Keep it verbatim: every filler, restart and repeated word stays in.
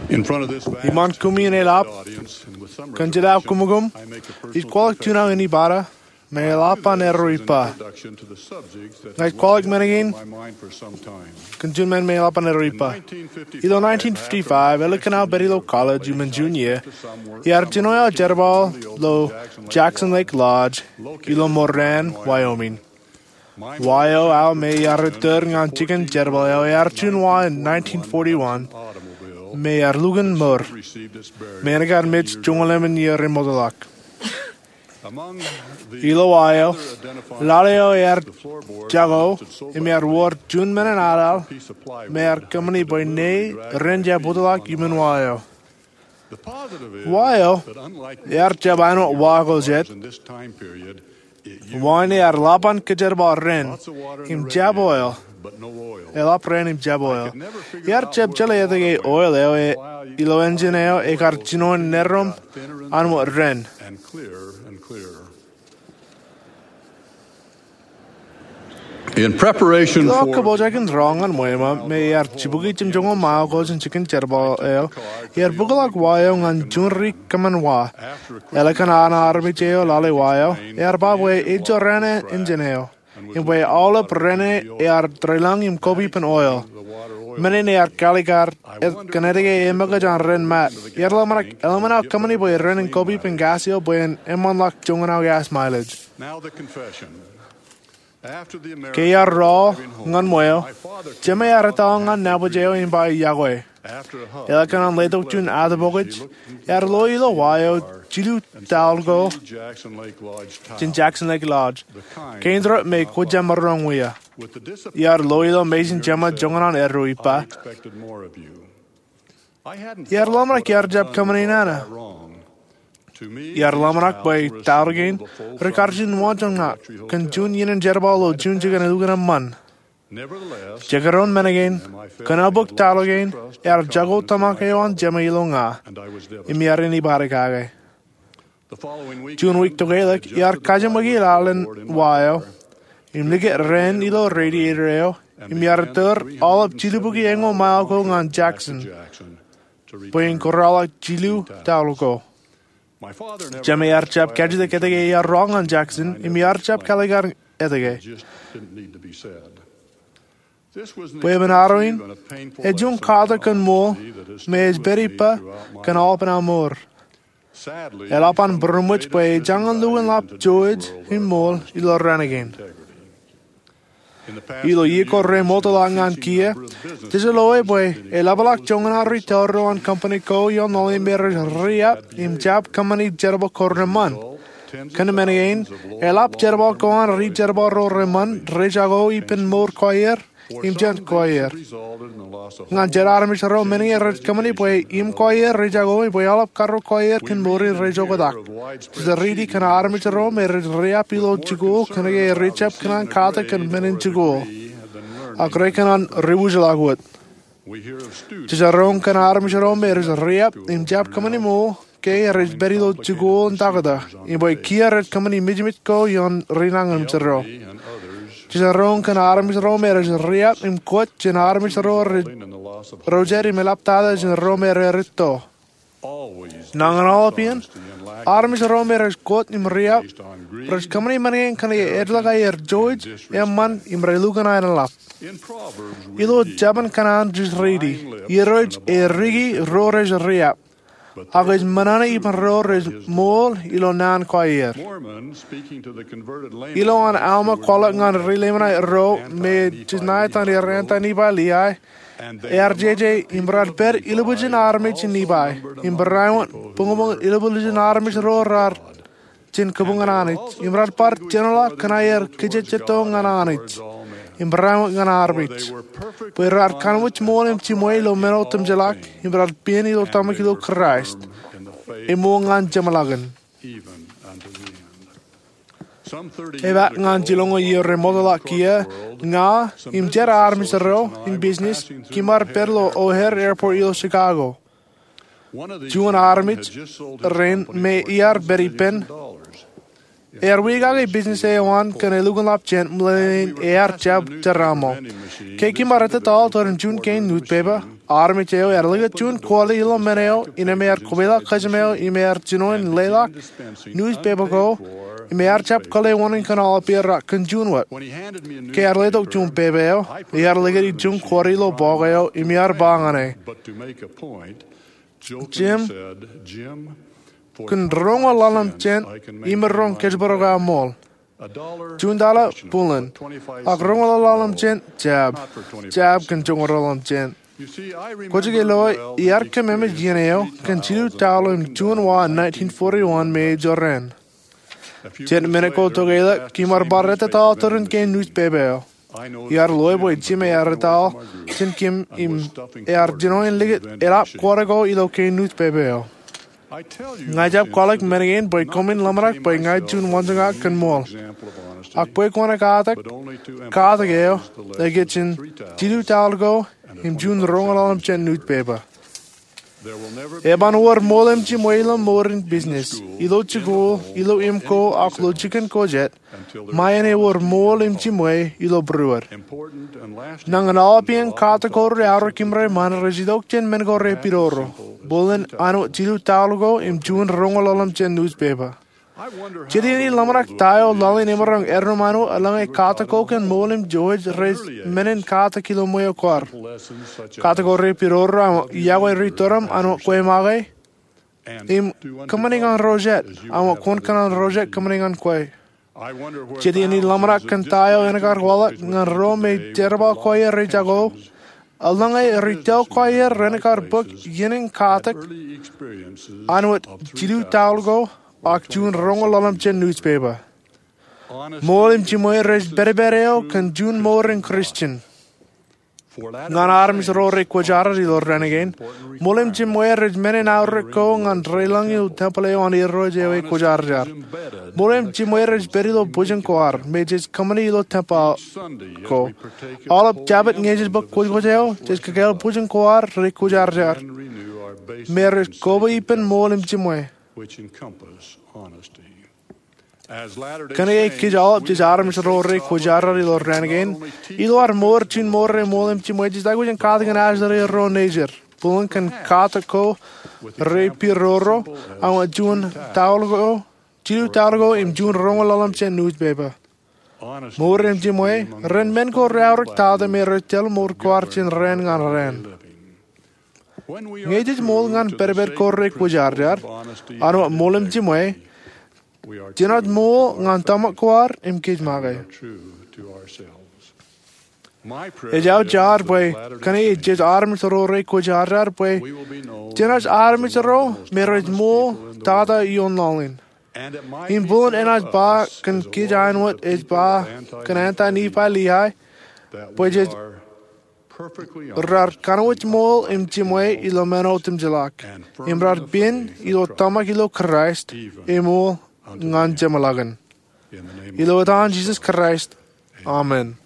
Iṃaan koṃeañ eḷap kōn jeḷā koṃ, ij kwaḷọk juon aō inepata me eḷap an erreo ippa. Ña ij kwaḷọk men kein kōn juon men me eḷap an erreo ippa. Ilo nineteen fifty-five, ālikin aō pād ilo college iuṃwin juon iiō, iar jino aō jerbal ilo Jackson Lake Lodge ilo Moran, Wyoming. Wa eo aō me iar ettōr ñan jikin jerbal eo ear juon wa in nineteen forty-one me ear lukkuun mour, me en kar mej joñoul emān iiō remootḷọk. Ilo wa eo, lale eo ear jako im ear wōr juon men in aḷaḷ me ear kōṃṃani bwe ne ren jab wōtḷọk iuṃwin wa eo. Wa eo ear jab āinwōt wa ko jet. Wa in ear ḷap an kōjerbal ren im jab oil. Eḷap ren im jab oil. Iar jab jeḷā etke oil eo ilo engine eo ekar jino in nerom āinwōt ren. Ilo aō kōpoojakin rọọl ñan ṃweo me ear jibukwi jemjoñoul mile ko jān jikin jerbal eo, iar bōkḷọk wa eo ñan juon ri kōṃṃan wa. Ālikin an armej eo lale wa eo, ear ba bwe ejorrāān engine eo im bwe aolep rene ear deḷọñ im kop ippān oil. Men in ear kalikar kōn etke eṃōkaj an ren mat. Iar ḷōmṇak eḷaññe aō kōṃṃani bwe ren in kop ippān gas eo bwe en eṃṃanḷọk joñan aō gas mileage. Ke iar rọọl ñan ṃweo, jema ear ettoḷọk ñan nabōj eo im ba iọkwe. Ālikin an letok juon atōpokōj, ear lo ilo wa eo jilu taḷ ko jān Jackson Lake Lodge, kein ro me kwōj jab maroñ wia. Iar lo ilo mejān jema joñan an erreo ippa. Iar ḷōmṇak iar jab kōṃṃani nana. Iar ḷōmṇak bwe taḷ kein ri kar juon wōnṃaanḷọk kōn juon iien in jerbal ilo juon jikin elukkuun eṃṃan. Jekdọọn men kein, kōn aō bōk taḷ kein, ear jako tōmak eo an jema ilo ña, im iar inepata kake. Juon wiik tokālik, iar kajeṃōki laḷ in wa eo im likūt raan ilo radiator eo, im iar ettōr aolep jilubukwi eñoul mile ko ñan Jackson bwe in kōrọọlḷọk jilu taḷ ko. Jema ear jab kajjitōk etke iar rọọl ñan Jackson, im iar jab kalikar etke. Bwe emān arro in, ej juon katak kōn ṃool me ej pād ippa kōn aolepen aō mour. Eḷap an būroṃōj bwe ejañin lukkuun ḷap George im ṃool ilo raan kein. Ilo iiō ko remootḷọk ñan kiiō, jej loe bwe eḷapḷọk joñan aō ri tōre eo an company ko ioon ḷọk me rej riab im jab kōṃṃani jerbal ko reṃṃan. Kōn men kein, eḷap jerbal ko an ri jerbal ro reṃṃan rej jako ippān mour ko aer im jān ko aer. Ñan jet armej ro, men kein rej kōṃṃani bwe im ko aer rej jako im bwe aolep karreoik ko aer kōn mour in rej oktak. Jej riiti kōn armej ro me rej riab ilo jikuuḷ kōnke rej jab kōṇaan katak kōn men in jikuuḷ, ak rekōṇaan ri wūjḷọk wōt. Jej roñ kōn armej ro me rej riab im jab kōṃṃani ṃool ke rej pād ilo jikuuḷ in taktō, im bwe kiiō rej kōṃṃani mijmij ko ioon ri nañinmej ro. Jej roñ kōn armej ro me rej riab im kōj jān armej ro rej jet im eḷaptata jān ro me rej rūtto. Nañin aolep iien, armej ro me rej kōj im riab rej kōṃṃani men kein kōnke ej lōñ aer George eṃṃan im rej lukkuun aenḷap. Ilo Jabōn Kōṇaan jej riiti, irooj e riki ro rej riab, ak ej ṃōṇōṇō ippān ro rej ṃool ilo naan ko aer. Ilo an Alma kwaḷọk ñan ri Leimanait ro me ej ṇa etan er ānta Nifai Liai, ear jeje im raar pād ilubwiljin armej in Nifai im barāinwōt buñbuñ ilubwiljin armej ro raar jān kabuñ an Anij, im raar bar jenaḷọk kōn aer kajejjet ñan Anij im barāinwōt ñan armej, bwe raar kanooj ṃool im jiṃwe ilo men otemjeḷọk, im raar pien ilo tōmak ilo Kraist, eṃool ñan jeṃḷọkin. Epaak ñan jilñuul iiō remootḷọk kiiō, ña im jet armej ro in business kiiṃ bar pād ilo O'Hare Airport ilo Chicago. Juon armej rein me iar pād ippān Ear wiaikake business eo an kōn elukkuun lab jān ṃōṇōṇō in ear jab tōraṃo. Ke kōm ar ettōtaḷ tōre juon kein newspaper, armej eo ear likūt juon kọọle ilo men eo innām ear kweilọk kōjām eo im ear jino in leḷọk newspaper ko im ear jab kōḷḷe wōṇāān kōn aolep iien raar kōn juon wōt. Ke ear letok juon paper eo, ear likūt juon kọọle ilo bọọk eo im ear ba ñan e, Jim, kōn roñoul ḷalem jān, imirroñ kōjparok aō ṃool. Juon taḷa, buḷōn. Ak roñoul ḷalem jān, jab. Jab kōn roñoul ḷalem jān. Kwōj ke lo, iar kōmemej iien eo kōn jilu taḷ im juon wa nineteen forty-one me ejorrāān. Jet minit ko tokālik, kōm ar bar ettōtaḷ tōre kein newspaper eo. Iar loe bwe Jim ear etal jān kōm im ear jino in likūt eḷap kọọle ko ilo kein newspaper eo. Ña ijab kwaḷọk men kein bwe koṃwin ḷōmṇak bwe ña ij juon wōnjeñak kōn ṃool. Ak bwe kwōn katak, katak eo, ej ke jān jilu taḷ ko im juon roñoul ḷalem jān newspaper. Eban wōr ṃool im jimwe ilo mour in business, ilo jikuuḷ, ilo im ko, ak ilo jikin ko jet, ṃae en ewōr ṃool im jimwe ilo būruod. Nañin aolep iien katak ko reaorōk im reṃṃan rej itok jān men ko repidodo, buḷōn āinwōt jilu taḷ ko im juon roñoul ḷalem jān newspaper. Jet iien ij ḷōmṇak ta eo laḷ in emaroñ erom āinwōt eḷaññe katak ko kōn ṃool im jimwe rej men in katak ilo ṃweo kwaar. Katak ko repidodo aṃ yokwe ri-tōrōṃ āinwōt kwe make, im kōṃṃani ñan ro jet āinwōt kwōn kōṇaan ro jet kōṃṃani ñan kwe. Jet iien ij ḷōmṇak kōn ta eo en kar waḷọk ñan ro me jerbal ko aer rej jako, eḷaññe ri-tōl ko aer ren kar bōk iien in katak āinwōt jilu taḷ ko ak juon roñoul ḷalem jān newspaper. Ṃool im jimwe rej pedped eo kōn juon mour in Christian. Ñan armej ro rekwōjarjar ilo raan kein, ṃool im jimwe rej men in aorōk ko ñan reilañ ilo tempel eo an Irooj eo ekwōjarjar. Ṃool im jimwe rej pād ilo bwijin kwaar me jej kōṃṃani ilo tempel ko. Aolep Jabōt ñe jej bōk kwōjkwōj eo, jej kakāāl bwijin kwaar rekwōjarjar me rej koba ippān ṃool im jimwe. Kōnke kōj aolep jej armej ro rekwōjarjar ilo raan kein, ilo ad mour juon mour eo ṃool im jimwe, jej aikuj in katakin ajri ro nejid. Buḷōn kōn katak ko repidodo āinwōt juon taḷ ko, jilu taḷ ko im juon roñoul ḷalem jān newspaper. Mour im jimwe ren men ko reaorōk tata me rej tōl mour kwaar jān raan ñan raan. Ñe jej ṃool ñan pedped ko rekwōjarjar āinwōt ṃool im jimwe, jenaaj ṃool ñan tōmak kwaar im kōj make. Ej aō jaar bwe kōnke jej armej ro rekwōjarjar bwe jenaaj armej ro me rej ṃool tata ioon laḷ in. Im buḷōn enaaj ba kōn kōj āinwōt ej ba kōn anti-Nifai Liai bwe jej raar kanooj ṃool im jimwe ilo men otemjeḷọk, im raar pād ilo tōmak ilo Kraist, eṃool ñan jeṃḷọkin. Ilo etan Jisōs Kraist, amen.